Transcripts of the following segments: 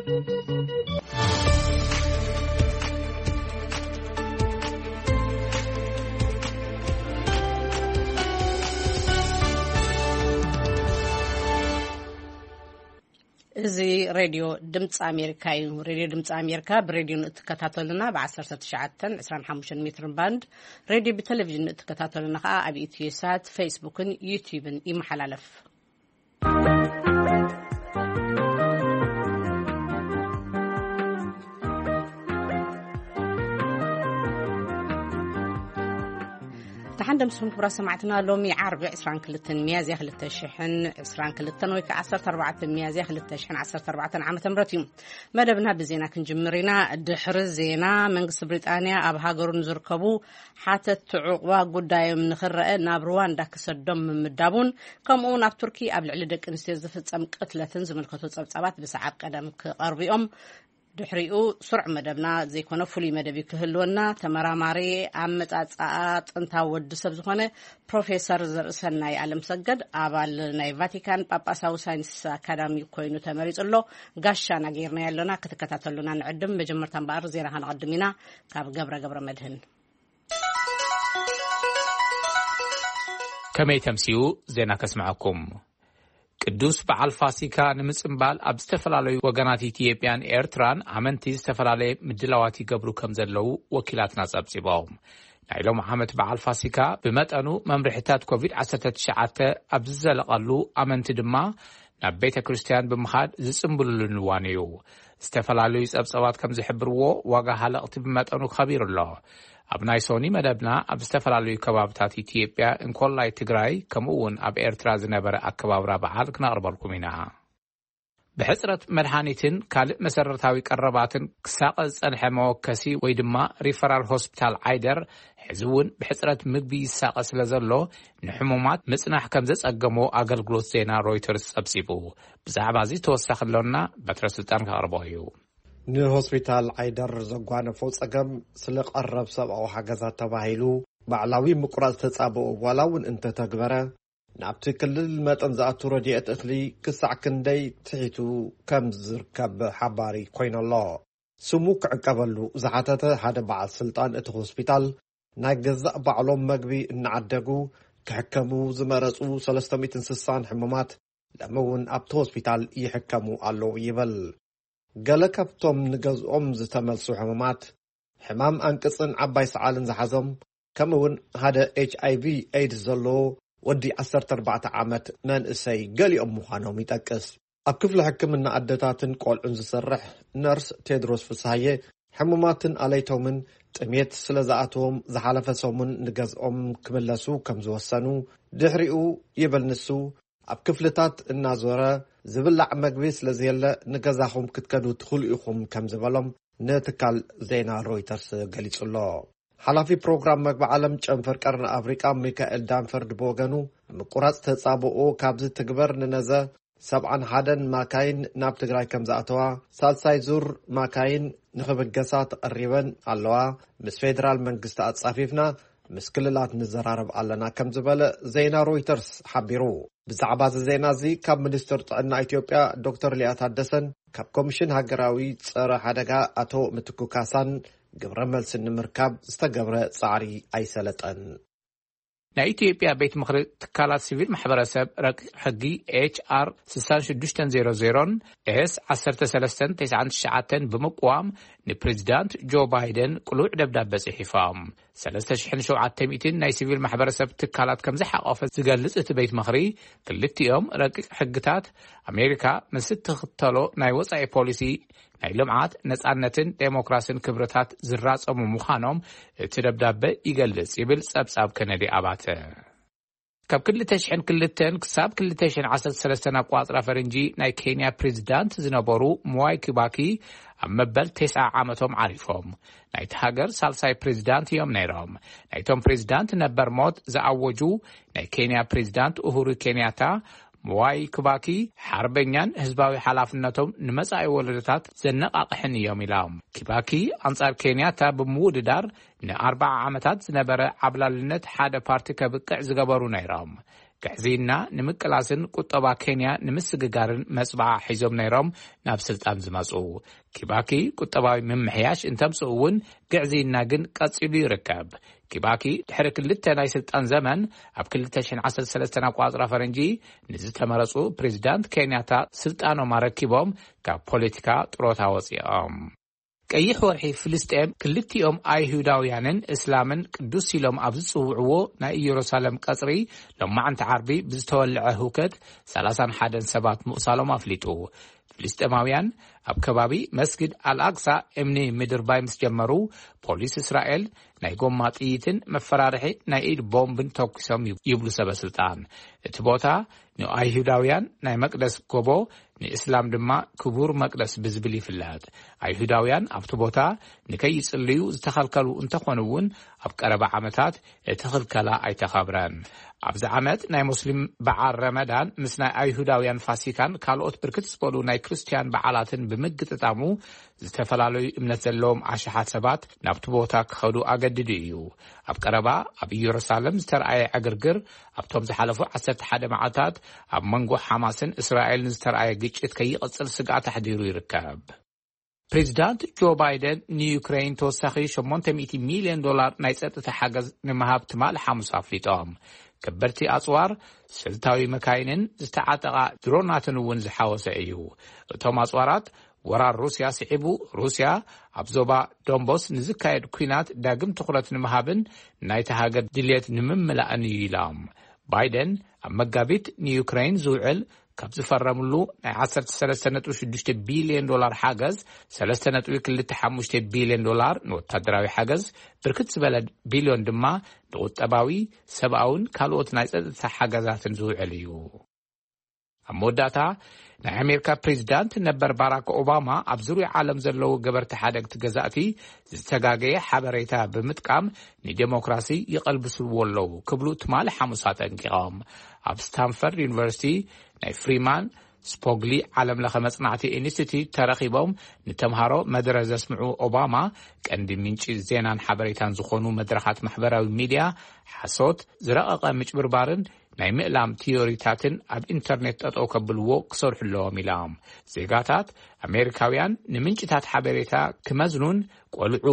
እዚ ሬድዮ ድምፂ ኣሜሪካ እዩ። ሬድዮ ድምፂ ኣሜሪካ ብሬድዮ ንእትከታተሉና ብ19፣ 25 ሜትር ባንድ፣ ሬድዮ ብቴሌቪዥን ንእትከታተሉና ከዓ ኣብ ኢትዮ ሳት፣ ፌስቡክን ዩቲዩብን ይመሓላለፍ። ደሓን ደምስኹም ክቡራት ሰማዕትና። ሎሚ ዓርቢ 22 ሚያዝያ 2022 ወይ ከዓ 14 ሚያዝያ 2014 ዓ.ም እዩ። መደብና ብዜና ክንጅምር ኢና። ድሕሪ ዜና፣ መንግስቲ ብሪጣንያ ኣብ ሃገሩ ንዝርከቡ ሓተትቲ ዕቑባ ጉዳዮም ንኽረአ ናብ ሩዋንዳ ክሰዶም ምምዳቡን፣ ከምኡ እውን ኣብ ቱርኪ ኣብ ልዕሊ ደቂ ኣንስትዮ ዝፍጸም ቅትለትን ዝምልከቱ ጸብጻባት ብሰዓብ ቀደም ክቐርቡ እዮም። ድሕሪኡ ስሩዕ መደብና ዘይኮነ ፍሉይ መደብ እዩ ክህልወና። ተመራማሪ ኣመጻጽኣ ጥንታዊ ወዲ ሰብ ዝኾነ ፕሮፌሰር ዘርእሰናይ ኣለምሰገድ፣ ኣባል ናይ ቫቲካን ጳጳሳዊ ሳይንስ ኣካዳሚ ኮይኑ ተመሪጹ ኣሎ። ጋሻና ገይርና ያለና ክትከታተሉና ንዕድም። መጀመርታ እምበኣር ዜና ከነቐድም ኢና። ካብ ገብረ ገብረ መድህን። ከመይ ተምስዩ ዜና ከስምዐኩም። ቅዱስ በዓል ፋሲካ ንምጽንባል ኣብ ዝተፈላለዩ ወገናት ኢትዮጵያን ኤርትራን ኣመንቲ ዝተፈላለየ ምድላዋት ይገብሩ ከም ዘለዉ ወኪላትና ጸብጺቦም። ናይ ሎም ዓመት በዓል ፋሲካ ብመጠኑ መምርሕታት ኮቪድ-19 ኣብ ዝዘለቐሉ፣ ኣመንቲ ድማ ናብ ቤተ ክርስቲያን ብምኻድ ዝጽንብሉሉን እዋን እዩ። ዝተፈላለዩ ጸብጸባት ከም ዝሕብርዎ፣ ዋጋ ሃለቕቲ ብመጠኑ ከቢሩ ኣሎ። ኣብ ናይ ሶኒ መደብና ኣብ ዝተፈላለዩ ከባብታት ኢትዮጵያ፣ እንኮላይ ትግራይ፣ ከምኡ እውን ኣብ ኤርትራ ዝነበረ ኣከባብራ በዓል ክነቕርበልኩም ኢና። ብሕጽረት መድሃኒትን ካልእ መሰረታዊ ቀረባትን ክሳቐ ዝጸንሐ መወከሲ ወይ ድማ ሪፈራል ሆስፒታል ዓይደር፣ ሕዚ እውን ብሕጽረት ምግቢ ይሳቐ ስለ ዘሎ፣ ንሕሙማት ምጽናሕ ከም ዘጸገሞ ኣገልግሎት ዜና ሮይተርስ ጸብጺቡ። ብዛዕባ እዚ ተወሳኺ ኣሎና፣ በትረ ስልጣን ከቕርቦ እዩ። ንሆስፒታል ዓይደር ዘጓነፎ ጸገም ስለ ቀረብ ሰብኣዊ ሓገዛት ተባሂሉ ባዕላዊ ምቁራጽ ተጻብኦ ዋላ እውን እንተተግበረ፣ ናብቲ ክልል መጠን ዝኣቱ ረድኤት እኽሊ ክሳዕ ክንደይ ትሒቱ ከም ዝርከብ ሓባሪ ኮይነሎ። ስሙ ክዕቀበሉ ዝሓተተ ሓደ በዓል ስልጣን እቲ ሆስፒታል፣ ናይ ገዛእ ባዕሎም መግቢ እናዓደጉ ክሕከሙ ዝመረጹ 360 ሕሙማት ሎሚ እውን ኣብቲ ሆስፒታል ይሕከሙ ኣለዉ ይብል። ገለ ካብቶም ንገዝኦም ዝተመልሱ ሕሙማት፣ ሕማም ኣንቅጽን ዓባይ ሰዓልን ዝሓዞም፣ ከምኡ እውን ሓደ ኤች ኣይ ቪ ኤድስ ዘለዎ ወዲ 14 ዓመት መንእሰይ ገሊኦም ምዃኖም ይጠቅስ። ኣብ ክፍሊ ሕክምና ኣደታትን ቆልዑን ዝሰርሕ ነርስ ቴድሮስ ፍስሃየ፣ ሕሙማትን ኣለይቶምን ጥሜት ስለ ዝኣተዎም፣ ዝሓለፈ ሰሙን ንገዝኦም ክምለሱ ከም ዝወሰኑ፣ ድሕሪኡ፣ ይብል ንሱ፣ ኣብ ክፍልታት እናዞረ፣ ዝብላዕ መግቢ ስለ ዘየለ፣ ንገዛኹም ክትከዱ ትኽእሉ ኢኹም ከም ዝበሎም ንትካል ዜና ሮይተርስ ገሊጹ ኣሎ። ሓላፊ ፕሮግራም መግቢ ዓለም ጨንፈር ቀርኒ ኣፍሪቃ ሚካኤል ዳንፈርድ ብወገኑ፣ ምቁራጽ ተጻብኦ ካብ ዝትግበር ንነዘ 71 ማካይን ናብ ትግራይ ከም ዝኣተዋ፣ ሳልሳይ ዙር ማካይን ንኽብገሳ ተቐሪበን ኣለዋ፣ ምስ ፌደራል መንግስቲ ኣጻፊፍና ምስ ክልላት ንዘራረብ ኣለና ከም ዝበለ ዜና ሮይተርስ ሓቢሩ። ብዛዕባ እዚ ዜና እዚ ካብ ሚኒስትር ጥዕና ኢትዮጵያ ዶክተር ሊያ ታደሰን ካብ ኮሚሽን ሃገራዊ ጸረ ሓደጋ ኣቶ ምትኩ ካሳን ግብረ መልሲ ንምርካብ ዝተገብረ ጻዕሪ ኣይሰለጠን። ናይ ኢትዮጵያ ቤት ምኽሪ ትካላት ሲቪል ማሕበረሰብ ረቂቕ ሕጊ ኤች ኣር 6600ን ኤስ 1399ን ብምቅዋም ንፕሬዚዳንት ጆ ባይደን ቅሉዕ ደብዳበ ጽሒፎም። 3,700 ናይ ሲቪል ማሕበረሰብ ትካላት ከም ዝሓቆፈ ዝገልጽ እቲ ቤት ምኽሪ፣ ክልቲኦም ረቂቕ ሕግታት ኣሜሪካ ምስ እትኽተሎ ናይ ወጻኢ ፖሊሲ ናይ ልምዓት፣ ነጻነትን ዴሞክራስን ክብርታት ዝራጸሙ ምዃኖም እቲ ደብዳበ ይገልጽ ይብል ጸብጻብ ከነዲ ኣባተ። ካብ 2002 ክሳብ 2013 ኣቋጽራ ፈረንጂ ናይ ኬንያ ፕሬዚዳንት ዝነበሩ ምዋይ ኪባኪ ኣብ መበል 90 ዓመቶም ዓሪፎም። ናይቲ ሃገር ሳልሳይ ፕሬዚዳንት እዮም ነይሮም። ናይቶም ፕሬዚዳንት ነበር ሞት ዝኣወጁ ናይ ኬንያ ፕሬዚዳንት ኡሁሩ ኬንያታ፣ ምዋይ ኪባኪ ሓርበኛን ህዝባዊ ሓላፍነቶም ንመጻኢ ወለዶታት ዘነቓቕሕን እዮም ኢሎም። ኪባኪ ኣንጻር ኬንያታ ብምውድዳር ንኣርባዓ ዓመታት ዝነበረ ዓብላልነት ሓደ ፓርቲ ከብቅዕ ዝገበሩ ነይሮም። ግዕዝይና ንምቅላስን ቁጠባ ኬንያ ንምስግጋርን መጽባዓ ሒዞም ነይሮም ናብ ስልጣን ዝመጹ። ኪባኪ ቁጠባዊ ምምሕያሽ እንተምጽኡ እውን ግዕዝይና ግን ቀጺሉ ይርከብ። ኪባኪ ድሕሪ ክልተ ናይ ስልጣን ዘመን ኣብ ክልተ ሽሕን ዓሰርተ ሰለስተን ኣቋጽራ ፈረንጂ ንዝተመረጹ ፕሬዚዳንት ኬንያታ ስልጣኖም ኣረኪቦም ካብ ፖለቲካ ጥሮታ ወጺኦም። ቀይሕ ወርሒ ፍልስጤም ክልቲኦም ኣይሁዳውያንን እስላምን ቅዱስ ኢሎም ኣብ ዝጽውዕዎ ናይ ኢየሩሳሌም ቀጽሪ ሎማዕንቲ ዓርቢ ብዝተወልዐ ህውከት ሰላሳን ሓደን ሰባት ምቕሳሎም ኣፍሊጡ። ፍልስጤማውያን ኣብ ከባቢ መስጊድ ኣልኣቅሳ እምኒ ምድርባይ ምስ ጀመሩ፣ ፖሊስ እስራኤል ናይ ጎማ ጥይትን መፈራርሒ ናይ ኢድ ቦምብን ተኩሶም ይብሉ ሰበ ስልጣን። እቲ ቦታ ንኣይሁዳውያን ናይ መቅደስ ጎቦ፣ ንእስላም ድማ ክቡር መቅደስ ብዝብል ይፍለጥ። ኣይሁዳውያን ኣብቲ ቦታ ንከይጽልዩ ዝተኸልከሉ እንተኾኑ እውን፣ ኣብ ቀረባ ዓመታት እቲ ክልከላ ኣይተኸብረን። ኣብዚ ዓመት ናይ ሙስሊም በዓል ረመዳን ምስ ናይ ኣይሁዳውያን ፋሲካን ካልኦት ብርክት ዝበሉ ናይ ክርስትያን በዓላትን ብምግጥጣሙ፣ ዝተፈላለዩ እምነት ዘለዎም ኣሽሓት ሰባት ናብቲ ቦታ ክኸዱ ኣገዲዱ እዩ። ኣብ ቀረባ ኣብ ኢየሩሳሌም ዝተረኣየ ዕግርግር፣ ኣብቶም ዝሓለፉ ዓሰርተ ሓደ መዓልታት ኣብ መንጎ ሓማስን እስራኤልን ዝተረኣየ ግጭት ከይቕጽል ስግኣት ኣሕዲሩ ይርከብ። ፕሬዚዳንት ጆ ባይደን ንዩክሬን ተወሳኺ ሸሞንተ ሚእቲ ሚልዮን ዶላር ናይ ጸጥታ ሓገዝ ንምሃብ ትማሊ ሓሙስ ኣፍሊጦም። ከበድቲ ኣጽዋር፣ ስልታዊ መካይንን ዝተዓጠቓ ድሮናትን እውን ዝሓወሰ እዩ። እቶም ኣጽዋራት፣ ወራር ሩስያ ስዒቡ፣ ሩስያ ኣብ ዞባ ዶንቦስ ንዝካየድ ኲናት ዳግም ትኹረት ንምሃብን ናይታ ሃገር ድልየት ንምምላእን እዩ ኢሎም። ባይደን ኣብ መጋቢት ንዩክሬን ዝውዕል ካብ ዝፈረምሉ ናይ ዓሰርተ ሰለስተ ነጥቢ ሽዱሽተ ቢልዮን ዶላር ሓገዝ፣ ሰለስተ ነጥቢ ክልተ ሓሙሽተ ቢልዮን ዶላር ንወታደራዊ ሓገዝ፣ ብርክት ዝበለ ቢልዮን ድማ ንቁጠባዊ፣ ሰብኣውን ካልኦት ናይ ጸጥታ ሓገዛትን ዝውዕል እዩ። ኣብ መወዳእታ፣ ናይ ኣሜሪካ ፕሬዚዳንት ነበር ባራክ ኦባማ ኣብ ዙርያ ዓለም ዘለዉ ገበርቲ ሓደግቲ ገዛእቲ ዝተጋገየ ሓበሬታ ብምጥቃም ንዴሞክራሲ ይቐልብስዎ ኣለዉ ክብሉ ትማሊ ሓሙስ ኣጠንቂቖም። ኣብ ስታንፈርድ ዩኒቨርሲቲ ናይ ፍሪማን ስፖግሊ ዓለም ለኸ መጽናዕቲ ኢንስቲትዩት ተረኺቦም ንተምሃሮ መደረ ዘስምዑ ኦባማ፣ ቀንዲ ምንጪ ዜናን ሓበሬታን ዝኾኑ መድረኻት ማሕበራዊ ሚድያ ሓሶት፣ ዝረቐቐ ምጭብርባርን ናይ ምእላም ቲዮሪታትን ኣብ ኢንተርኔት ጠጠው ከብልዎ ክሰርሑ ኣለዎም ኢሎም። ዜጋታት ኣሜሪካውያን ንምንጭታት ሓበሬታ ክመዝኑን ቆልዑ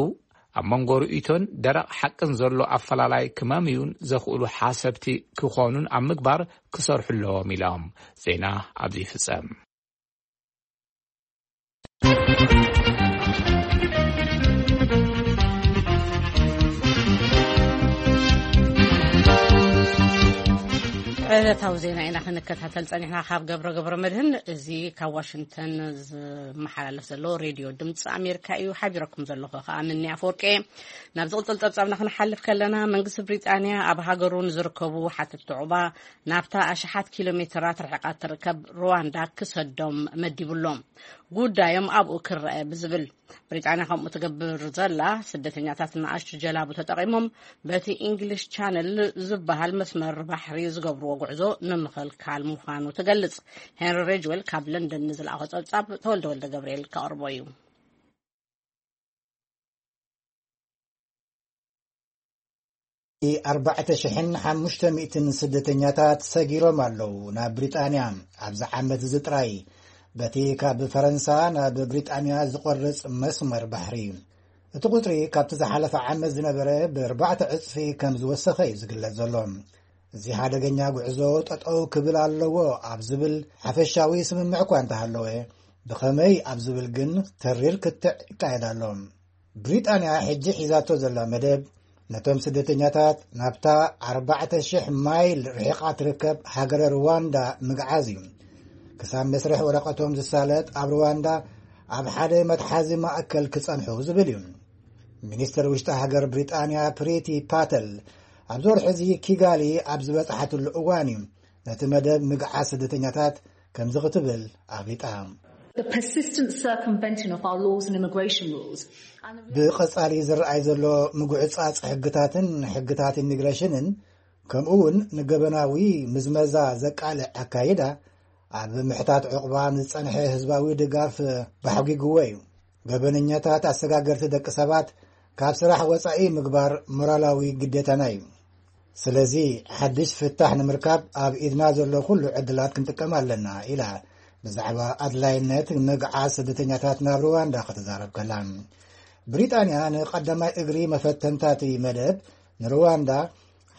ኣብ መንጎ ርእይቶን ደረቕ ሓቅን ዘሎ ኣፈላላይ ክመምዩን ዘኽእሉ ሓሰብቲ ክኾኑን ኣብ ምግባር ክሰርሑ ኣለዎም ኢሎም። ዜና ኣብዚ ይፍጸም። ዕለታዊ ዜና ኢና ክንከታተል ጸኒሕና ካብ ገብረ ገብረ መድህን። እዚ ካብ ዋሽንግተን ዝመሓላለፍ ዘሎ ሬድዮ ድምፂ ኣሜሪካ እዩ። ሓቢረኩም ዘለኹ ከዓ ምኒ ኣፈወርቂ። ናብ ዝቕፅል ፀብፃብና ክንሓልፍ ከለና፣ መንግስቲ ብሪጣንያ ኣብ ሃገሩ ንዝርከቡ ሓተትቲ ዑቕባ ናብታ ኣሽሓት ኪሎ ሜትራት ርሕቓት ትርከብ ሩዋንዳ ክሰዶም መዲቡ ኣሎ። ጉዳዮም ኣብኡ ክረአ ብዝብል፣ ብሪጣንያ ከምኡ ትገብር ዘላ፣ ስደተኛታት ንኣሽቱ ጀላቡ ተጠቒሞም በቲ ኢንግሊሽ ቻነል ዝበሃል መስመር ባሕሪ ዝገብርዎ ጉዕዞ ንምኽልካል ምዃኑ ትገልጽ። ሄንሪ ሬጅዌል ካብ ለንደን ንዝለኣኾ ጸብጻብ ተወልደ ወልደ ገብርኤል ከቕርቦ እዩ። ኣርባዕተ ሽሕን ሓሙሽተ ሚእትን ስደተኛታት ሰጊሮም ኣለዉ ናብ ብሪጣንያ። ኣብዚ ዓመት እዚ ጥራይ፣ በቲ ካብ ፈረንሳ ናብ ብሪጣንያ ዝቖርጽ መስመር ባሕሪ፣ እቲ ቁጽሪ ካብቲ ዝሓለፈ ዓመት ዝነበረ ብኣርባዕተ ዕጽፊ ከም ዝወሰኸ እዩ ዝግለጽ ዘሎ። እዚ ሓደገኛ ጉዕዞ ጠጠው ክብል ኣለዎ ኣብ ዝብል ሓፈሻዊ ስምምዕ እኳ እንተሃለወ፣ ብኸመይ ኣብ ዝብል ግን ተሪር ክትዕ ይካየድ ኣሎ። ብሪጣንያ ሕጂ ሒዛቶ ዘላ መደብ፣ ነቶም ስደተኛታት ናብታ ኣርባዕተ ሽሕ ማይል ርሒቓ ትርከብ ሃገረ ሩዋንዳ ምግዓዝ እዩ። ክሳብ መስርሕ ወረቐቶም ዝሳለጥ ኣብ ሩዋንዳ ኣብ ሓደ መትሓዚ ማእከል ክጸንሑ ዝብል እዩ። ሚኒስተር ውሽጢ ሃገር ብሪጣንያ ፕሪቲ ፓተል፣ ኣብዚ ወርሒ እዚ ኪጋሊ ኣብ ዝበጽሓትሉ እዋን እዩ ነቲ መደብ ምግዓዝ ስደተኛታት ከምዚ ክትብል ኣፍሊጣ። The persistent circumventing of our laws and immigration rules and the ብቐጻሊ ዝረኣይ ዘሎ ምጉዕጻጽ ሕግታትን ሕግታት ኢሚግሬሽንን፣ ከምኡ እውን ንገበናዊ ምዝመዛ ዘቃልዕ ኣካይዳ፣ ኣብ ምሕታት ዕቑባ ንዝጸንሐ ህዝባዊ ድጋፍ ባሕጒግዎ እዩ። ገበነኛታት ኣሰጋገርቲ ደቂ ሰባት ካብ ስራሕ ወጻኢ ምግባር ሞራላዊ ግዴታና እዩ። ስለዚ ሓድሽ ፍታሕ ንምርካብ ኣብ ኢድና ዘሎ ኩሉ ዕድላት ክንጥቀም ኣለና ኢላ ብዛዕባ ኣድላይነት ምግዓዝ ስደተኛታት ናብ ሩዋንዳ ክትዛረብ ከላ። ብሪጣንያ ንቐዳማይ እግሪ መፈተንታቲ መደብ ንሩዋንዳ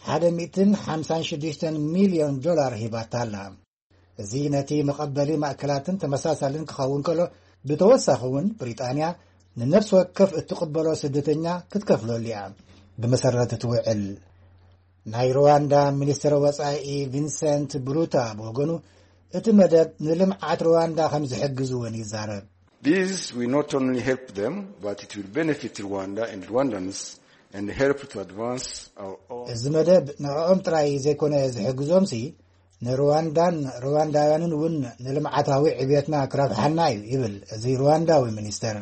ሓደ ሚእትን ሓምሳን ሽዱሽተን ሚልዮን ዶላር ሂባታ ኣላ። እዚ ነቲ መቐበሊ ማእከላትን ተመሳሳልን ክኸውን ከሎ፣ ብተወሳኺ እውን ብሪጣንያ ንነፍሲ ወከፍ እትቕበሎ ስደተኛ ክትከፍለሉ እያ። ብመሰረት እቲ ውዕል፣ ናይ ሩዋንዳ ሚኒስትር ወጻኢ ቪንሰንት ብሩታ ብወገኑ፣ እቲ መደብ ንልምዓት ሩዋንዳ ከም ዝሕግዝ እውን ይዛረብ። These will not only help them, but it will benefit Rwanda and Rwandans and help to advance our own. እዚ መደብ ንዕኦም ጥራይ ዘይኮነ ዝሕግዞምሲ፣ ንሩዋንዳን ሩዋንዳውያንን እውን ንልምዓታዊ ዕብየትና ክረብሓና እዩ ይብል እዚ ሩዋንዳዊ ሚኒስተር።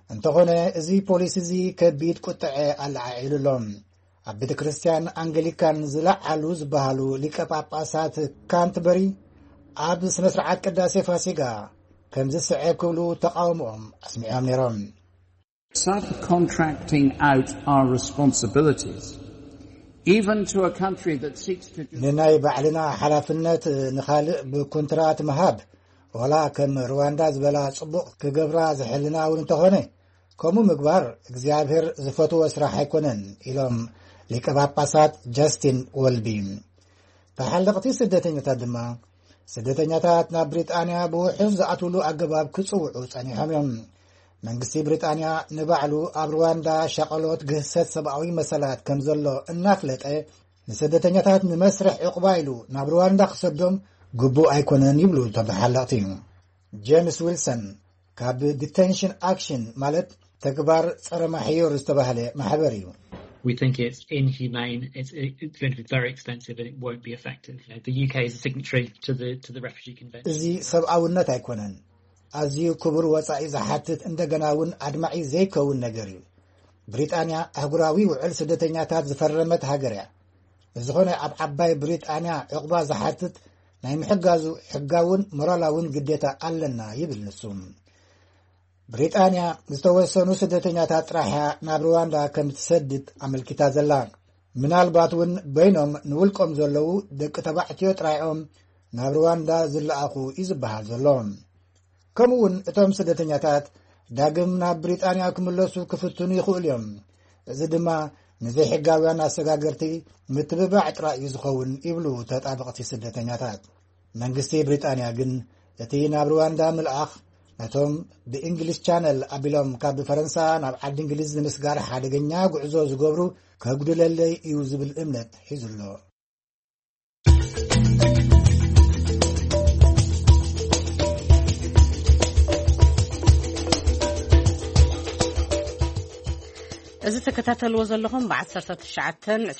እንተኾነ፣ እዚ ፖሊሲ እዚ ከቢድ ቁጥዐ ኣለዓዒሉ ኣሎ። ኣብ ቤተ ክርስቲያን ኣንግሊካን ዝለዓሉ ዝበሃሉ ሊቀ ጳጳሳት ካንትበሪ ኣብ ስነ ስርዓት ቅዳሴ ፋሲጋ ከምዚ ስዕብ ክብሉ ተቃውሞኦም ኣስሚዖም ነይሮም። Subcontracting out our responsibilities, even to a country that seeks to just ንናይ ባዕልና ሓላፍነት ንኻልእ ብኩንትራት ምሃብ፣ ወላ ከም ሩዋንዳ ዝበላ ጽቡቕ ክገብራ ዝሕልና እውን እንተኾነ፣ ከምኡ ምግባር እግዚኣብሔር ዝፈትዎ ስራሕ ኣይኮነን ኢሎም ሊቀ ጳጳሳት ጃስቲን ወልቢ። ተሓለቕቲ ስደተኛታት ድማ፣ ስደተኛታት ናብ ብሪጣንያ ብውሑስ ዝኣትውሉ ኣገባብ ክጽውዑ ጸኒሖም እዮም። መንግስቲ ብሪጣንያ ንባዕሉ ኣብ ሩዋንዳ ሸቐሎት ግህሰት ሰብኣዊ መሰላት ከም ዘሎ እናፍለጠ፣ ንስደተኛታት ንመስርሕ ዕቑባ ኢሉ ናብ ሩዋንዳ ክሰዶም ግቡእ ኣይኮነን ይብሉ እቶም ተሓለቕቲ። ጄምስ ዊልሰን ካብ ዲቴንሽን ኣክሽን፣ ማለት ተግባር ጸረ ማሕዮር ዝተባህለ ማሕበር እዩ። We think it's inhumane. It's, it's going to be very expensive, and it won't be effective. Uh, the U K is a signatory to the to the Refugee Convention. እዚ ሰብኣውነት ኣይኮነን። ኣዝዩ ክቡር ወጻኢ ዝሓትት፣ እንደገና እውን ኣድማዒ ዘይከውን ነገር እዩ። ብሪጣንያ ኣህጉራዊ ውዕል ስደተኛታት ዝፈረመት ሃገር እያ። ብዝኾነ፣ ኣብ ዓባይ ብሪጣንያ ዕቑባ ዝሓትት ናይ ምሕጋዙ ሕጋውን ሞራላውን ግዴታ ኣለና ይብል ንሱ። ብሪጣንያ ዝተወሰኑ ስደተኛታት ጥራሕ እያ ናብ ሩዋንዳ ከም ትሰድድ ኣመልኪታ ዘላ። ምናልባት እውን በይኖም ንውልቆም ዘለዉ ደቂ ተባዕትዮ ጥራይኦም ናብ ሩዋንዳ ዝለኣኹ እዩ ዝበሃል ዘሎ። ከምኡ እውን እቶም ስደተኛታት ዳግም ናብ ብሪጣንያ ክምለሱ ክፍትኑ ይኽእሉ እዮም። እዚ ድማ ንዘይሕጋውያን ኣሰጋገርቲ ምትብባዕ ጥራይ እዩ ዝኸውን ይብሉ ተጣበቕቲ ስደተኛታት። መንግስቲ ብሪጣንያ ግን እቲ ናብ ሩዋንዳ ምልኣኽ ነቶም ብእንግሊዝ ቻነል ኣቢሎም ካብ ፈረንሳ ናብ ዓዲ እንግሊዝ ንምስጋር ሓደገኛ ጉዕዞ ዝገብሩ ከጉድለለይ እዩ ዝብል እምነት ሒዙ ኣሎ። እዚ ተከታተልዎ ዘለኹም ብ19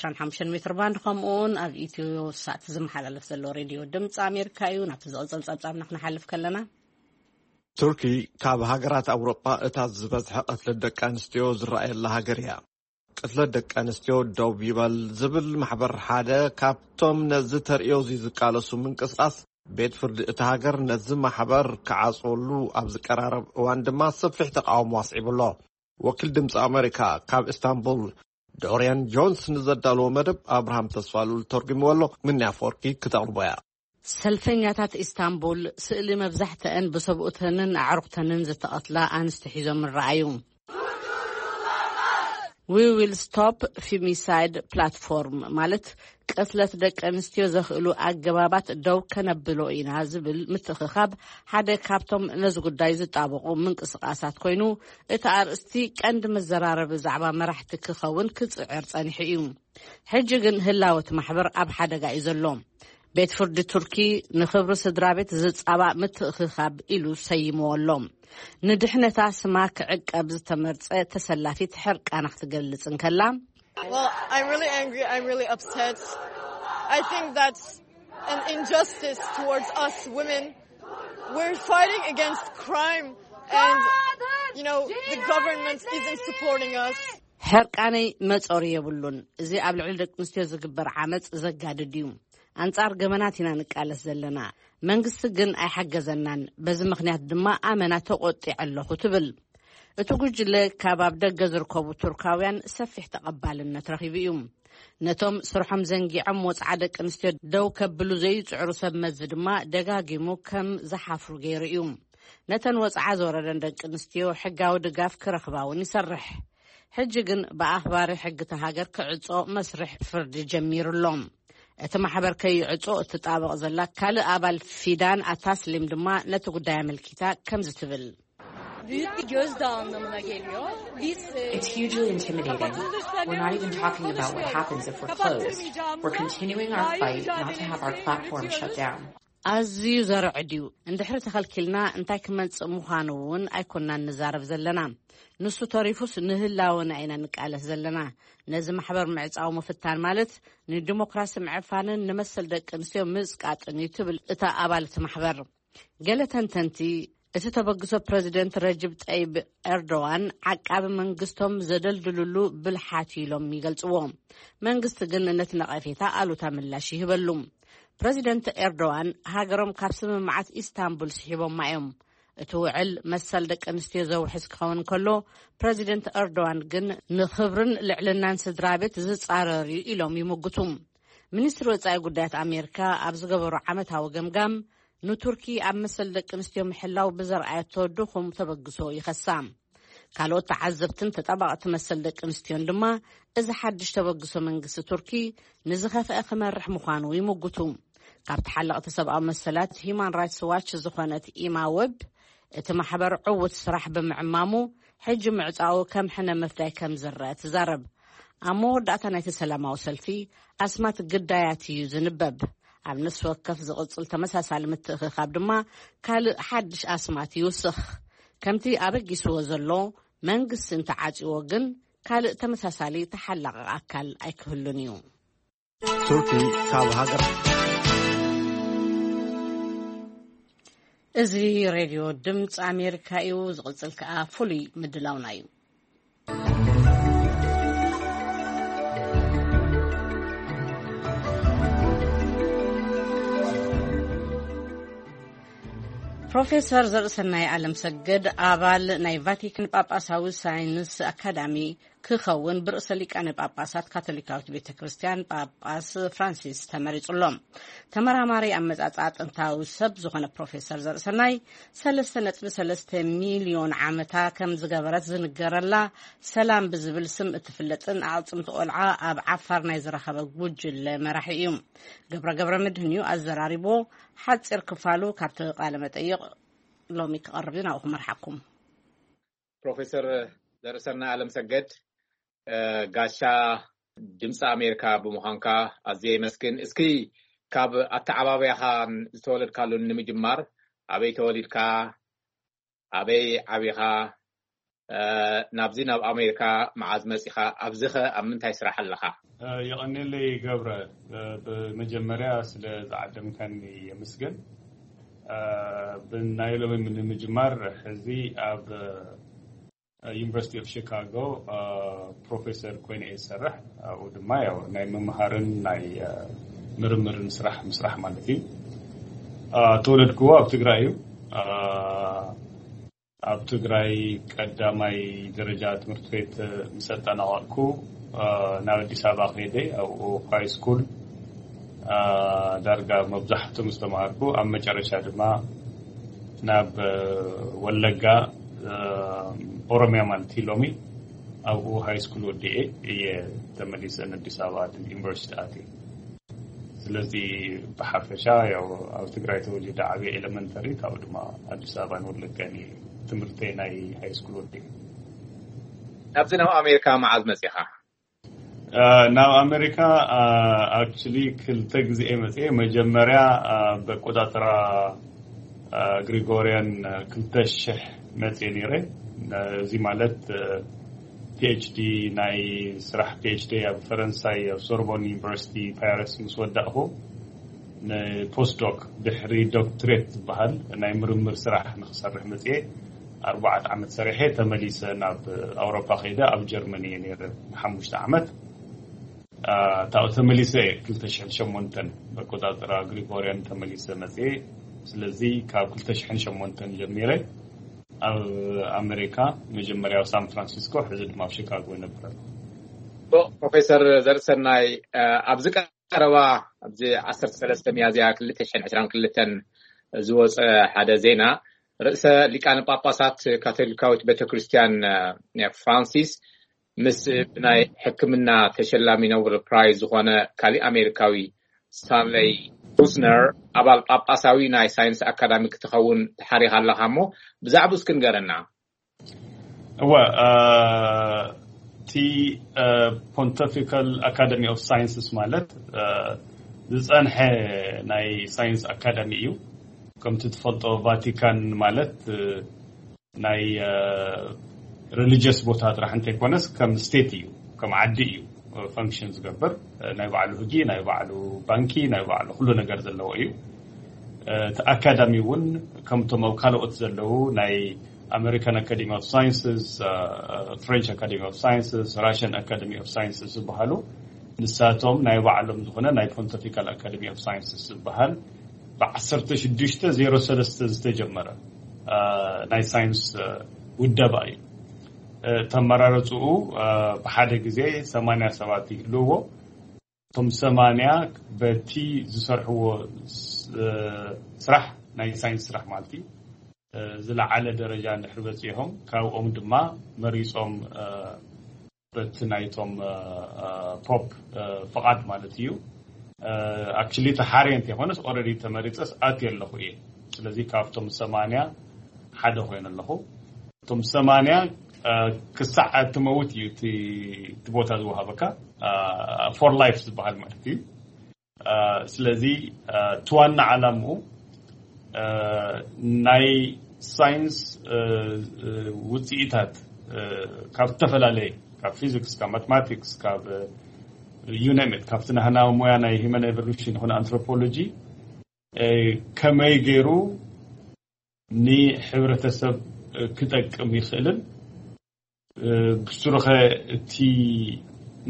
25 ሜትር ባንድ ከምኡውን ኣብ ኢትዮ ሳት ዝመሓላለፍ ዘሎ ሬድዮ ድምፂ ኣሜሪካ እዩ። ናብቲ ዝቕፅል ፀብፃብና ክንሓልፍ ከለና፣ ቱርኪ ካብ ሃገራት ኣውሮጳ እታ ዝበዝሐ ቅትለት ደቂ ኣንስትዮ ዝረኣየላ ሃገር እያ። ቅትለት ደቂ ኣንስትዮ ደው ይበል ዝብል ማሕበር ሓደ ካብቶም ነዚ ተርእዮ እዚ ዝቃለሱ ምንቅስቃስ፣ ቤት ፍርዲ እቲ ሃገር ነዚ ማሕበር ክዓጽወሉ ኣብ ዝቀራረብ እዋን ድማ ሰፊሕ ተቃውሞ ኣስዒቡ ኣሎ። ወኪል ድምፂ ኣሜሪካ ካብ ኢስታንቡል ዶሪያን ጆንስ ንዘዳለዎ መደብ ኣብርሃም ተስፋሉል ተርጉምዎ ኣሎ። ምንያ ኣፈወርቂ ክተቕርቦ እያ። ሰልፈኛታት ኢስታንቡል ስእሊ መብዛሕትአን ብሰብኡተንን ኣዕሩኽተንን ዝተቐትላ ኣንስቲ ሒዞም ረኣዩ። We will stop femicide platform ማለት ቅትለት ደቂ ኣንስትዮ ዘኽእሉ ኣገባባት ደው ከነብሎ ኢና ዝብል ምትእኽኻብ ሓደ ካብቶም ነዚ ጉዳይ ዝጣበቑ ምንቅስቃሳት ኮይኑ፣ እቲ ኣርእስቲ ቀንዲ መዘራረቢ ዛዕባ መራሕቲ ክኸውን ክጽዕር ጸኒሑ እዩ። ሕጂ ግን ህላወ እቲ ማሕበር ኣብ ሓደጋ እዩ ዘሎ። ቤት ፍርዲ ቱርኪ ንኽብሪ ስድራ ቤት ዝጻባእ ምትእኽኻብ ኢሉ ሰይምዎ ኣሎ። ንድሕነታ ስማ ክዕቀብ ዝተመርጸ ተሰላፊት ሕርቃና ክትገልጽ እንከላ፣ Well, I'm really angry. I'm really upset. I think that's an injustice towards us women. We're fighting against crime, and you know, the government isn't supporting us. ሕርቃነይ መጾሪ የብሉን። እዚ ኣብ ልዕሊ ደቂ ኣንስትዮ ዝግበር ዓመጽ ዘጋድድ እዩ። ኣንጻር ገበናት ኢና ንቃለስ ዘለና። መንግስቲ ግን ኣይሓገዘናን። በዚ ምኽንያት ድማ ኣመና ተቆጢዐ ኣለኹ ትብል። እቲ ጉጅለ ካብ ኣብ ደገ ዝርከቡ ቱርካውያን ሰፊሕ ተቐባልነት ረኺቡ እዩ። ነቶም ስርሖም ዘንጊዖም ወጽዓ ደቂ ኣንስትዮ ደው ከብሉ ዘይጽዕሩ ሰብ መዚ ድማ ደጋጊሙ ከም ዝሓፍሩ ገይሩ እዩ። ነተን ወጽዓ ዘወረደን ደቂ ኣንስትዮ ሕጋዊ ድጋፍ ክረኽባ እውን ይሰርሕ። ሕጂ ግን ብኣኽባሪ ሕጊ እታ ሃገር ክዕጾ መስርሕ ፍርዲ ጀሚሩ ኣሎ። እቲ ማሕበር ከይዕጾ እትጣበቕ ዘላ ካልእ ኣባል ፊዳን ኣታስሊም ድማ ነቲ ጉዳይ ኣመልኪታ ከምዚ ትብል። Büyük bir gözdağı anlamına geliyor. Biz e, It's hugely intimidating. We're not even talking about what happens if we're closed. We're continuing our fight not to have our platform shut down. ኣዝዩ ዘርዕድ እዩ። እንድሕሪ ተኸልኪልና እንታይ ክመጽእ ምዃኑ እውን ኣይኮናን ንዛረብ ዘለና። ንሱ ተሪፉስ ንህላወና ኢና ንቃለስ ዘለና። ነዚ ማሕበር ምዕጻው ምፍታን ማለት ንዲሞክራሲ ምዕፋንን ንመሰል ደቂ ኣንስትዮ ምጽቃጥን እዩ ትብል እታ ኣባል እቲ ማሕበር። ገለ ተንተንቲ እቲ ተበግሶ ፕረዚደንት ረጅብ ጠይብ ኤርዶዋን ዓቃቢ መንግስቶም ዘደልድልሉ ብልሓት እዩ ኢሎም ይገልጽዎ። መንግስቲ ግን ነቲ ነቐፌታ ኣሉታ ምላሽ ይህበሉ። ፕረዚደንት ኤርዶዋን ሃገሮም ካብ ስምምዓት ኢስታንቡል ስሒቦማ እዮም። እቲ ውዕል መሰል ደቂ ኣንስትዮ ዘውሕስ ክኸውን ከሎ፣ ፕረዚደንት ኤርዶዋን ግን ንኽብርን ልዕልናን ስድራ ቤት ዝጻረር እዩ ኢሎም ይምጉቱ። ሚኒስትሪ ወጻኢ ጉዳያት ኣሜሪካ ኣብ ዝገበሮ ዓመታዊ ገምጋም ንቱርኪ ኣብ መሰል ደቂ ኣንስትዮ ምሕላው ብዘርኣየቶ ድኹም ተበግሶ ይኸሳ። ካልኦት ተዓዘብትን ተጣባቕቲ መሰል ደቂ ኣንስትዮን ድማ እዚ ሓድሽ ተበግሶ መንግስቲ ቱርኪ ንዝኸፍአ ክመርሕ ምዃኑ ይምጉቱ። ካብ ተሓለቕቲ ሰብኣዊ መሰላት ሂዩማን ራይትስ ዋች ዝኾነት ኢማ ወብ እቲ ማሕበር ዕዉት ስራሕ ብምዕማሙ ሕጂ ምዕጻኡ ከም ሕነ ምፍዳይ ከም ዝረአ ትዛረብ። ኣብ መወዳእታ ናይቲ ሰላማዊ ሰልፊ ኣስማት ግዳያት እዩ ዝንበብ። ኣብ ነፍሲ ወከፍ ዝቕጽል ተመሳሳሊ ምትእኽኻብ ድማ ካልእ ሓድሽ ኣስማት ይውስኽ። ከምቲ ኣበጊስዎ ዘሎ መንግስቲ እንተዓጽዎ ግን ካልእ ተመሳሳሊ ተሓላቒ ኣካል ኣይክህሉን እዩ። ቱርኪ ካብ ሃገር እዚ ሬድዮ ድምፂ ኣሜሪካ እዩ። ዝቕጽል ከኣ ፍሉይ ምድላውና እዩ። ፕሮፌሰር ዘርእሰናይ ዓለም ሰገድ ኣባል ናይ ቫቲካን ጳጳሳዊ ሳይንስ ኣካዳሚ ክኸውን ብርእሰ ሊቃነ ጳጳሳት ካቶሊካዊት ቤተ ክርስቲያን ጳጳስ ፍራንሲስ ተመሪጹ ኣሎ። ተመራማሪ ኣመጻጽኣ ጥንታዊ ሰብ ዝኾነ ፕሮፌሰር ዘርእሰናይ ሰለስተ ነጥቢ ሰለስተ ሚልዮን ዓመታ ከም ዝገበረት ዝንገረላ ሰላም ብዝብል ስም እትፍለጥን ኣዕጽምቲ ቆልዓ ኣብ ዓፋር ናይ ዝረኸበ ጉጅለ መራሒ እዩ። ገብረ ገብረ መድህን እዩ ኣዘራሪቦ። ሓጺር ክፋሉ ካብቲ ቃለ መጠይቕ ሎሚ ክቐርብ እዩ። ናብኡ ክመርሓኩም። ፕሮፌሰር ዘርእሰናይ ኣለም ሰገድ፣ እ፣ ጋሻ ድምፂ ኣሜሪካ ብምዃንካ ኣዝየ የመስግን። እስኪ ካብ ኣተዓባብያኻን ዝተወለድካሉን ንምጅማር፣ ኣበይ ተወሊድካ? ኣበይ ዓቢኻ? እ፣ ናብዚ ናብ ኣሜሪካ መዓዝ መጺኻ? ኣብዚኸ ኣብ ምንታይ ስራሕ ኣለኻ? እ፣ የቐኔለይ ገብረ፣ እ፣ ብመጀመርያ ስለ ዝዓደምካኒ የመስግን። እ፣ ብናይ ሎሚ ንምጅማር፣ ሕዚ ኣብ ዩኒቨርሲቲ ኦፍ ሺካጎ፣ እ፣ ፕሮፌሰር ኮይነ እየ ዝሰርሕ። ኣብኡ ድማ ያው ናይ ምምሃርን ናይ፣ እ፣ ምርምርን ስራሕ ምስራሕ ማለት እዩ። እ፣ ተወለድክዎ ኣብ ትግራይ እዩ። እ፣ ኣብ ትግራይ ቀዳማይ ደረጃ ትምህርቲ ቤት ምስ ኣጠናቐቕኩ፣ እ፣ ናብ ኣዲስ ኣበባ ከይደ ኣብኡ ሃይ ስኩል፣ እ፣ ዳርጋ መብዛሕትኡ ምስ ተማሃርኩ፣ ኣብ መጨረሻ ድማ ናብ፣ እ፣ ወለጋ፣ እ፣ ኦሮሚያ ማለት እዩ ሎሚ፣ ኣብኡ ሃይ ስኩል ወዲኤ እየ ተመሊሰ ንኣዲስ ኣበባ ዩኒቨርሲቲ ኣትየ። ስለዚ ብሓፈሻ ያው ኣብ ትግራይ ተወሊደ ዓብየ፣ ኤለመንተሪ፣ ካብኡ ድማ ኣዲስ ኣበባን ወለጋን እየ ትምህርተይ ናይ ሃይ ስኩል ወዲኤ። ናብዚ ናብ ኣሜሪካ መዓዝ መጺኻ? እ፣ ናብ ኣሜሪካ፣ እ፣ ኣክቹሊ ክልተ ግዜ እየ መጽየ። መጀመርያ፣ እ፣ በቆጻጽራ፣ እ፣ ግሪጎርያን፣ እ፣ ክልተ ሽሕ መጽየ ነይረ። እ፣ እዚ ማለት፣ እ፣ ፒ ኤች ዲ፣ ናይ ስራሕ ፒ ኤች ዲ ኣብ ፈረንሳይ ኣብ ሶርቦን ዩኒቨርሲቲ ፓሪስ ምስ ወዳእኹ፣ ንፖስት ዶክ፣ ድሕሪ ዶክትሬት ዝበሃል ናይ ምርምር ስራሕ ንክሰርሕ መጽየ። ኣርባዕተ ዓመት ሰሪሐ ተመሊሰ ናብ ኣውሮፓ ከይደ፣ ኣብ ጀርመን እየ ነይረ ንሓሙሽተ ዓመት። አ፣ ታው ተመሊሰ ክልተ ሽሕን ሸሞንተን በቆጻጽራ ግሪጎርያን ተመሊሰ መጽየ። ስለዚ ካብ ክልተ ሽሕን ሸሞንተን ጀሚረ ኣብ ኣሜሪካ፣ መጀመርያ ኣብ ሳን ፍራንሲስኮ፣ ሕዚ ድማ ኣብ ሺካጎ ይነብር ኣለኹ። ፕሮፌሰር ዘርእሰናይ፣ ኣብዚ ቀረባ ኣብዚ ዓሰርተ ሰለስተ ሚያዝያ ክልተ ሽሕን ዕስራን ክልተን ዝወፀ ሓደ ዜና፣ ርእሰ ሊቃነ ጳጳሳት ካቶሊካዊት ቤተክርስትያን ፍራንሲስ ምስ ብናይ ሕክምና ተሸላሚ ኖበል ፕራይዝ ዝኾነ ካሊእ ኣሜሪካዊ ስታንለይ ኩስነር ኣባል ጳጳሳዊ ናይ ሳይንስ ኣካዳሚ ክትኸውን ተሓሪኻ ኣለኻ እሞ፣ ብዛዕባኡ እስኪ ንገረና። እወ፣ እቲ ፖንቲፊካል ኣካደሚ ኦፍ ሳይንስስ ማለት ዝፀንሐ ናይ ሳይንስ ኣካዳሚ እዩ። ከምቲ ትፈልጦ፣ ቫቲካን ማለት ናይ ሪሊጅስ ቦታ ጥራሕ እንተይኮነስ ከም ስቴት እዩ፣ ከም ዓዲ እዩ ፈንክሽን ዝገብር። ናይ ባዕሉ ህጊ፣ ናይ ባዕሉ ባንኪ፣ ናይ ባዕሉ ኩሉ ነገር ዘለዎ እዩ። እቲ ኣካዳሚ እውን ከምቶም ኣብ ካልኦት ዘለዉ ናይ ኣሜሪካን ኣካደሚ ኦፍ ሳይንስስ፣ ፍሬንች ኣካደሚ ኦፍ ሳይንስስ፣ ራሽን ኣካደሚ ኦፍ ሳይንስስ ዝበሃሉ፣ ንሳቶም ናይ ባዕሎም ዝኾነ ናይ ፖንቲፊካል ኣካደሚ ኦፍ ሳይንስስ ዝበሃል ብዓሰርተ ሽዱሽተ ዜሮ ሰለስተ ዝተጀመረ ናይ ሳይንስ ውደባ እዩ። ተመራረፅኡ ብሓደ ግዜ ሰማንያ ሰባት ይህልውዎ። እቶም ሰማንያ በቲ ዝሰርሕዎ ስራሕ፣ ናይ ሳይንስ ስራሕ ማለት እዩ፣ ዝለዓለ ደረጃ እንድሕር በፂሖም፣ ካብኦም ድማ መሪፆም በቲ ናይቶም ፖፕ ፍቓድ ማለት እዩ። ኣክቹሊ ተሓርየ እንተይኮነስ ኦረዲ ተመሪፀስ ኣትየ ኣለኹ እየ። ስለዚ ካብቶም ሰማንያ ሓደ ኮይነ ኣለኹ። እቶም ሰማንያ ክሳዕ ትመውት እዩ እቲ ቦታ ዝወሃበካ፣ ፎር ላይፍ ዝበሃል ማለት እዩ። ስለዚ እቲ ዋና ዓላምኡ ናይ ሳይንስ ውፅኢታት ካብ ዝተፈላለየ፣ ካብ ፊዚክስ፣ ካብ ማትማቲክስ፣ ካብ ዩነሜት፣ ካብቲ ናህና ሙያ ናይ ሂመን ኤቨሉሽን ይኹን ኣንትሮፖሎጂ ከመይ ገይሩ ንሕብረተሰብ ክጠቅም ይኽእልን ብስሩኸ እቲ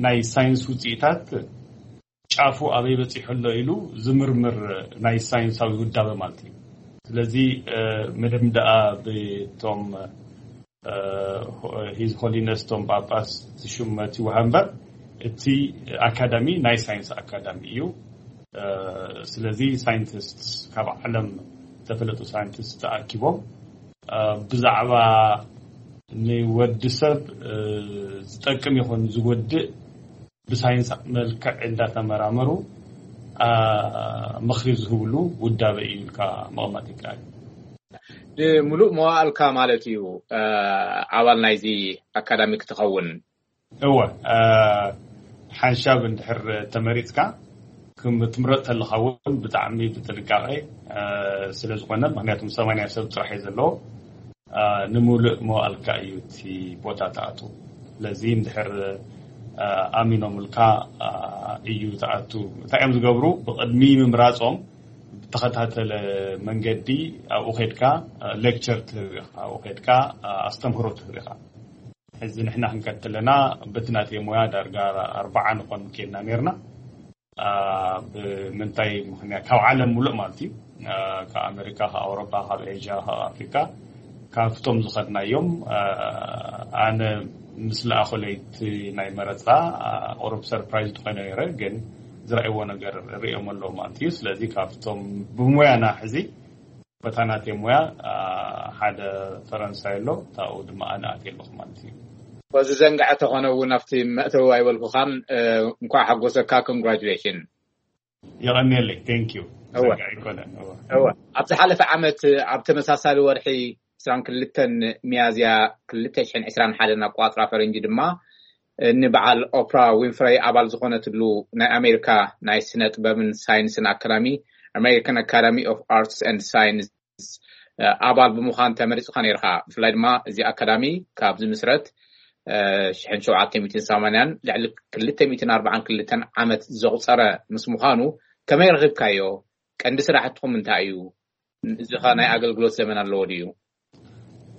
ናይ ሳይንስ ውፅኢታት ጫፉ ኣበይ በፂሑ ኣሎ ኢሉ ዝምርምር ናይ ሳይንሳዊ ውዳበ ማለት እዩ። ስለዚ ምንም ደኣ ብቶም ሂዝ ሆሊነስ ቶም ጳጳስ ዝሽመት ይወሃብ እምበር፣ እቲ ኣካዳሚ ናይ ሳይንስ ኣካዳሚ እዩ። ስለዚ ሳይንቲስት፣ ካብ ዓለም ዝተፈለጡ ሳይንቲስት ተኣኪቦም ብዛዕባ ንወዲ ሰብ ዝጠቅም ይኹን ዝጎድእ ብሳይንስ መልክዕ እንዳተመራመሩ ምኽሪ ዝህብሉ ውዳበ እዩ ኢልካ ምቕማጥ ይከኣል። ንምሉእ መዋእልካ ማለት እዩ ኣባል ናይዚ ኣካዳሚ ክትኸውን? እወ፣ ሓንሻብ እንድሕር ተመሪፅካ፣ ክትምረፅ ተለካ እውን ብጣዕሚ ብጥንቃቄ ስለ ዝኾነ፣ ምክንያቱም ሰማንያ ሰብ ጥራሕ እዩ ዘለዎ፣ ንምሉእ መዋእልካ እዩ እቲ ቦታ ትኣቱ። ስለዚ እንድሕር ኣሚኖምልካ እዩ ትኣቱ። እንታይ እዮም ዝገብሩ? ብቅድሚ ምምራፆም ብተኸታተለ መንገዲ ኣብኡ ኸድካ ሌክቸር ትህብ ኢኻ፣ ኣብኡ ኸድካ ኣስተምህሮ ትህብ ኢኻ። ሕዚ ንሕና ክንከድ ከለና በቲ ናተይ ሞያ ዳርጋ ኣርባዓ ንኾን ኬድና ነርና። ብምንታይ ምኽንያት? ካብ ዓለም ሙሉእ ማለት እዩ። ካብ ኣሜሪካ፣ ካብ ኣውሮፓ፣ ካብ ኤዥያ፣ ካብ ኣፍሪካ፣ ካብቶም ዝኸድናዮም ኣነ ምስ ለኣኸለይ እቲ ናይ መረፃ ቁሩብ ሰርፕራይዝ ዝኾነ ነይረ፣ ግን ዝረእይዎ ነገር ርእዮም ኣለዉ ማለት እዩ። ስለዚ ካብቶም ብሞያና ሕዚ በታ ናተይ ሞያ ሓደ ፈረንሳይ ኣሎ፣ ታኡ ድማ ኣነ ኣትየ ኣለኹ ማለት እዩ። በዚ ዘንግዐ ተኾነ እውን ኣብቲ መእተዊ ኣይበልኩኻን። እንኳዕ ሓጎሰካ። ኮንግራጁሌሽን። የቐንየለይ። ቴንክ ዩ። እወ። ኣብ ዝሓለፈ ዓመት ኣብ ተመሳሳሊ ወርሒ ዕስራን ክልተን ሚያዝያ ክልተ ሽሕን ዕስራን ሓደን ኣቋፅራ ፈረንጂ ድማ ንበዓል ኦፕራ ዊንፍረይ ኣባል ዝኾነትሉ ናይ ኣሜሪካ ናይ ስነ ጥበብን ሳይንስን ኣካዳሚ፣ ኣሜሪካን ኣካዳሚ ኦፍ ኣርትስ ኤንድ ሳይንስ፣ ኣባል ብምዃን ተመሪፅካ ነይርካ። ብፍላይ ድማ እዚ ኣካዳሚ ካብ ዝምስረት ሽሕን ሸውዓተ ሚእትን ሰማንያን ልዕሊ ክልተ ሚእትን ኣርባዓን ክልተን ዓመት ዘቑፀረ ምስ ምዃኑ ከመይ ረኺብካዮ? ቀንዲ ስራሕትኹም እንታይ እዩ? እዚ ኸ ናይ ኣገልግሎት ዘመን ኣለዎ ድዩ?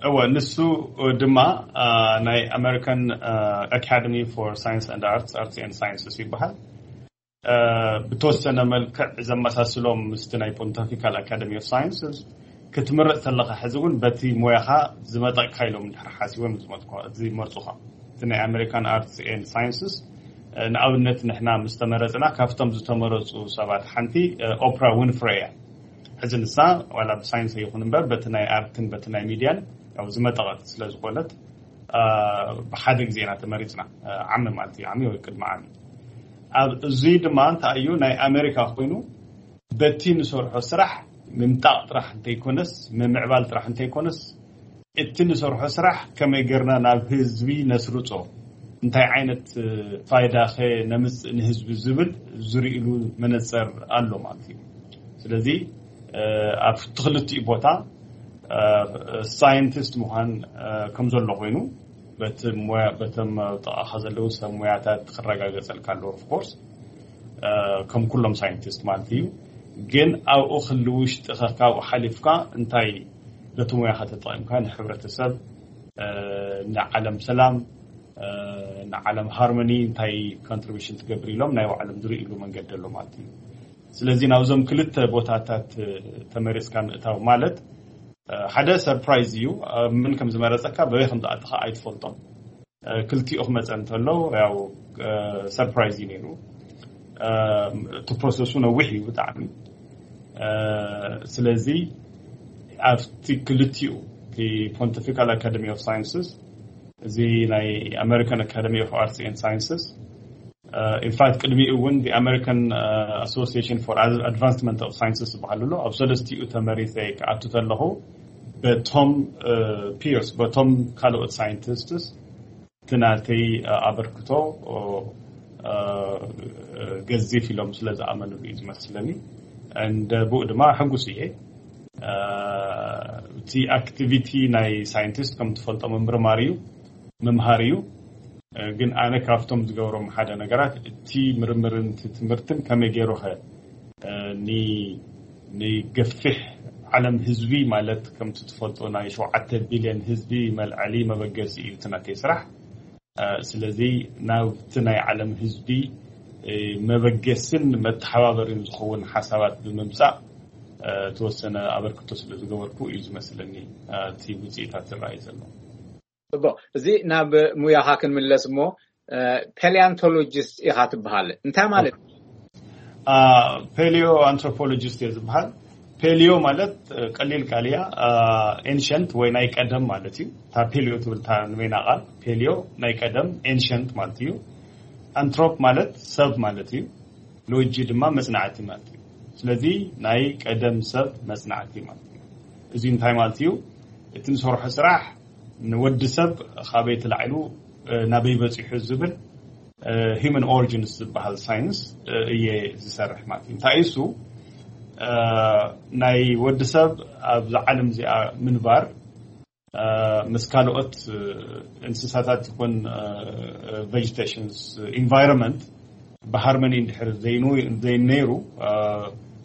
እወ፣ ንሱ ድማ ናይ ኣሜሪካን ኣካደሚ ፎር ሳይንስ ኤንድ ኣርትስ፣ ኣርትስ ኤንድ ሳይንስስ ይበሃል። ብተወሰነ መልክዕ ዘመሳስሎም ምስቲ ናይ ፖንቲፊካል ኣካደሚ ኦፍ ሳይንስስ። ክትምረፅ ተለካ ሕዚ እውን በቲ ሞያኻ ዝመጠቅካ ኢሎም እንድሕር ሓሲቦም ዝመርፁኻ። እቲ ናይ ኣሜሪካን ኣርትስ ኤንድ ሳይንስስ ንኣብነት ንሕና ምስ ተመረፅና ካብቶም ዝተመረፁ ሰባት ሓንቲ ኦፕራ ዊንፍሬ እያ። ሕዚ ንሳ ዋላ ብሳይንስ ይኹን እምበር በቲ ናይ ኣርትን በቲ ናይ ሚድያን ያው ዝመጠቐት ስለ ዝኾነት ብሓደ ግዜ ኢና ተመሪፅና። ዓሚ ማለት እዩ፣ ዓሚ ወይ ቅድሚ ዓሚ። ኣብ እዙይ ድማ እንታይ እዩ ናይ ኣሜሪካ ኮይኑ በቲ ንሰርሖ ስራሕ ምምጣቕ ጥራሕ እንተይኮነስ፣ ምምዕባል ጥራሕ እንተይኮነስ፣ እቲ ንሰርሖ ስራሕ ከመይ ጌርና ናብ ህዝቢ ነስርጾ፣ እንታይ ዓይነት ፋይዳ ከ ነምጽእ ንህዝቢ ዝብል ዝርእሉ መነጽር ኣሎ ማለት እዩ። ስለዚ ኣብ ትኽልቲኡ ቦታ ሳይንቲስት ምዃን ከም ዘሎ ኮይኑ በቶም ጥቓኻ ዘለዉ ሰብ ሞያታት ክረጋገጸልካ ኣለዎ። ኦፍኮርስ ከም ኩሎም ሳይንቲስት ማለት እዩ። ግን ኣብኡ ክህሉ ውሽጢ ካብኡ ሓሊፍካ እንታይ በቲ ሞያኻ ተጠቒምካ ንሕብረተሰብ፣ ንዓለም ሰላም፣ ንዓለም ሃርሞኒ እንታይ ኮንትሪቢሽን ትገብር ኢሎም ናይ ባዕሎም ዝርእሉ መንገዲ ኣሎ ማለት እዩ። ስለዚ ናብዞም ክልተ ቦታታት ተመሪፅካ ምእታው ማለት ሓደ ሰርፕራይዝ እዩ። ምን ከም ዝመረፀካ በበይ ከም ዝኣተኻ ኣይትፈልጦም። ክልቲኡ ክመፀ እንተሎ ያው ሰርፕራይዝ እዩ ነይሩ። እቲ ፕሮሰሱ ነዊሕ እዩ ብጣዕሚ። ስለዚ ኣብቲ ክልቲኡ፣ እቲ ፖንቲፊካል ኣካደሚ ኦፍ ሳይንስስ፣ እዚ ናይ ኣሜሪካን ኣካደሚ ኦፍ ኣርትስ ኤንድ ሳይንስስ፣ ኢንፋክት ቅድሚኡ እውን ኣሜሪካን ኣሶሲሽን ፎር ኣድቫንስመንት ኦፍ ሳይንስስ ዝበሃል ኣሎ። ኣብ ሰለስቲኡ ተመሪፀ ክኣቱ ተለኹ በቶም ፒርስ፣ በቶም ካልኦት ሳይንቲስትስ እቲ ናተይ ኣበርክቶ ገዚፍ ኢሎም ስለ ዝኣመኑሉ እዩ ዝመስለኒ። እንደ ብኡ ድማ ሕጉስ እየ። እቲ ኣክቲቪቲ ናይ ሳይንቲስት ከም ትፈልጦ ምምርማር እዩ፣ ምምሃር እዩ። ግን ኣነ ካብቶም ዝገብሮም ሓደ ነገራት እቲ ምርምርን እቲ ትምህርትን ከመይ ገይሩ ኸ ንገፊሕ ዓለም ህዝቢ ማለት ከምቲ ትፈልጦ ናይ ሸውዓተ ቢልዮን ህዝቢ መልዐሊ መበገሲ እዩ እቲ ናተይ ስራሕ። ስለዚ ናብቲ ናይ ዓለም ህዝቢ መበገስን መተሓባበሪን ዝኸውን ሓሳባት ብምምፃእ ተወሰነ ኣበርክቶ ስለ ዝገበርኩ እዩ ዝመስለኒ እቲ ውፅኢታት ዝረኣዩ ዘሎ። ፅቡቕ፣ እዚ ናብ ሙያኻ ክንምለስ እሞ፣ ፓሊያንቶሎጂስት ኢኻ ትበሃል፣ እንታይ ማለት? ፓሊዮ ኣንትሮፖሎጂስት እየ ዝበሃል። ፓሊዮ ማለት ቀሊል ቃል እያ፣ ኤንሸንት ወይ ናይ ቀደም ማለት እዩ። እታ ፓሊዮ ትብል እታ ንበይና ቃል፣ ፓሊዮ ናይ ቀደም፣ ኤንሸንት ማለት እዩ። ኣንትሮፕ ማለት ሰብ ማለት እዩ። ሎጂ ድማ መፅናዕቲ ማለት እዩ። ስለዚ ናይ ቀደም ሰብ መፅናዕቲ ማለት እዩ። እዚ እንታይ ማለት እዩ? እቲ ንሰርሖ ስራሕ ንወዲ ሰብ ካበይ ተላዒሉ ናበይ በፂሑ ዝብል ሂውማን ኦሪጂንስ ዝበሃል ሳይንስ እየ ዝሰርሕ ማለት እዩ። እንታይ እሱ? ናይ ወዲ ሰብ ኣብዚ ዓለም እዚኣ ምንባር ምስ ካልኦት እንስሳታት ይኹን ቬጀቴሽንስ ኢንቫይሮንመንት ብሃርመኒ እንድሕር ዘይነይሩ፣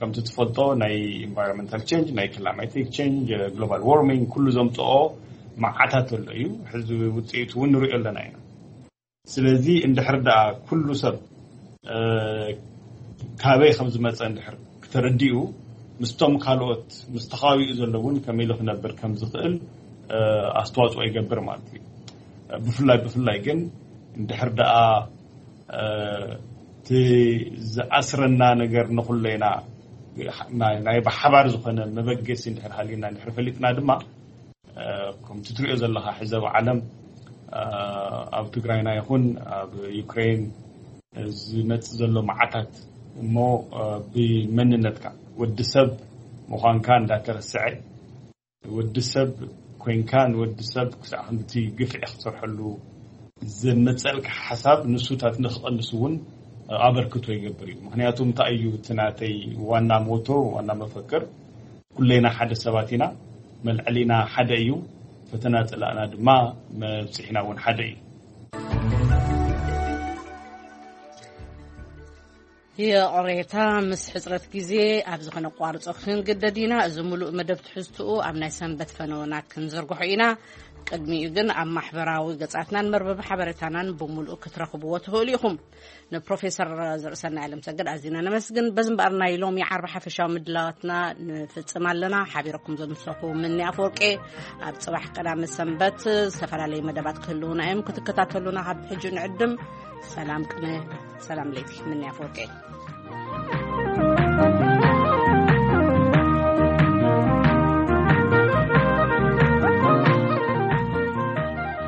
ከምቲ ትፈልጦ ናይ ኢንቫይሮንመንታል ቼንጅ፣ ናይ ክላማቲክ ቼንጅ፣ ግሎባል ዋርሚንግ ኩሉ ዘምፅኦ መዓታት ኣሎ እዩ። ሕዚ ውፅኢቱ እውን ንሪኦ ኣለና ኢና። ስለዚ እንድሕር ደኣ ኩሉ ሰብ ካበይ ከም ዝመፀ እንድሕር ክተረዲኡ ምስቶም ካልኦት ምስ ተኻቢኡ ዘሎ እውን ከመይ ኢሉ ክነብር ከም ዝኽእል ኣስተዋፅኦ ይገብር ማለት እዩ። ብፍላይ ብፍላይ ግን እንድሕር ደኣ እቲ ዝኣስረና ነገር ንኹለይና ናይ ብሓባር ዝኾነ መበገሲ እንድሕር ሃሊና እንድሕር ፈሊጥና ድማ ከምቲ ትሪኦ ዘለኻ ሕዚ ኣብ ዓለም ኣብ ትግራይና ይኹን ኣብ ዩክሬን ዝመፅእ ዘሎ መዓታት እሞ ብመንነትካ ወዲ ሰብ ምዃንካ እንዳተረስዐ ወዲ ሰብ ኮይንካ ንወዲ ሰብ ክሳዕ ክንድቲ ግፍዒ ክትሰርሐሉ ዘመፀልካ ሓሳብ ንሱታት ንክቐንስ እውን ኣበርክቶ ይገብር እዩ። ምክንያቱ እንታይ እዩ እቲ ናተይ ዋና ሞቶ ዋና መፈክር ኩለይና ሓደ ሰባት ኢና፣ መልዐሊና ሓደ እዩ፣ ፈተና ፅላእና ድማ መብፅሒና እውን ሓደ እዩ። ይቕሬታ፣ ምስ ሕጽረት ግዜ ኣብዚ ከነቋርጾ ክንግደድ ኢና። እዚ ምሉእ መደብ ትሕዝትኡ ኣብ ናይ ሰንበት ፈነወና ክንዝርግሖ ኢና። ቅድሚኡ ግን ኣብ ማሕበራዊ ገጻትናን መርበብ ሓበሬታናን ብምሉእ ክትረኽብዎ ትኽእሉ ኢኹም። ንፕሮፌሰር ዘርእሰናይ ኣለምሰገድ ኣዚና ነመስግን። በዚ እምበኣር ናይ ሎሚ ዓርቢ ሓፈሻዊ ምድላዋትና ንፍጽም ኣለና። ሓቢረኩም ዘምሰኹ ምኒ ኣፈወርቄ። ኣብ ጽባሕ ቀዳመ ሰንበት ዝተፈላለዩ መደባት ክህልውና እዮም። ክትከታተሉና ካብ ሕጂ ንዕድም። ሰላም ቅነ፣ ሰላም ለይቲ። ምንያ ኣፈወርቂ።